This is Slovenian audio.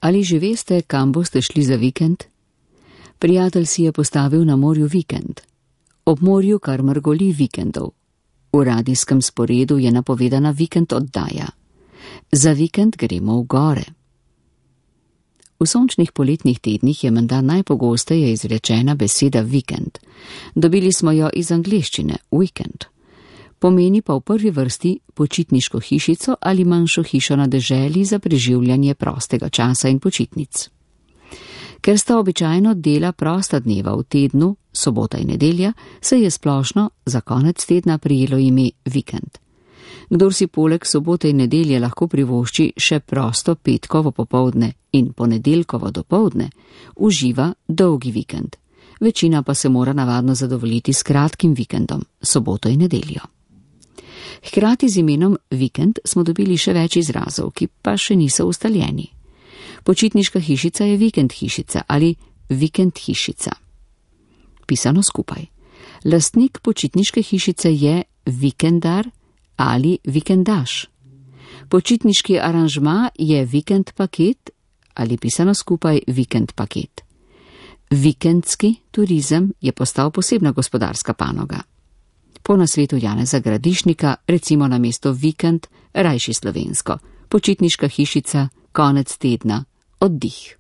Ali že veste, kam boste šli za vikend? Prijatelj si je postavil na morju vikend. Ob morju kar mrgoli vikendov. V radijskem sporedu je napovedana vikend oddaja. Za vikend gremo v gore. V sončnih poletnih tednih je menda najpogosteje izrečena beseda vikend. Dobili smo jo iz angleščine weekend. Pomeni pa v prvi vrsti počitniško hišico ali manjšo hišo na deželi za preživljanje prostega časa in počitnic. Ker sta običajno dela prosta dneva v tednu, sobota in nedelja, se je splošno za konec tedna prijelo ime vikend. Kdor si poleg sobote in nedelje lahko privošči še prosto petkovo popoldne in ponedeljkovo dopoldne, uživa dolgi vikend. Večina pa se mora navadno zadovoljiti s kratkim vikendom, soboto in nedeljo. Hkrati z imenom vikend smo dobili še več izrazov, ki pa še niso ustaljeni. Počitniška hišica je vikend hišica ali vikend hišica. Pisano skupaj. Lastnik počitniške hišice je vikendar ali vikendaš. Počitniški aranžma je vikend paket ali pisano skupaj vikend paket. Vikendski turizem je postal posebna gospodarska panoga. Po nasvetu Janeza Gradišnika recimo na mesto vikend rajši slovensko, počitniška hišica, konec tedna, oddih.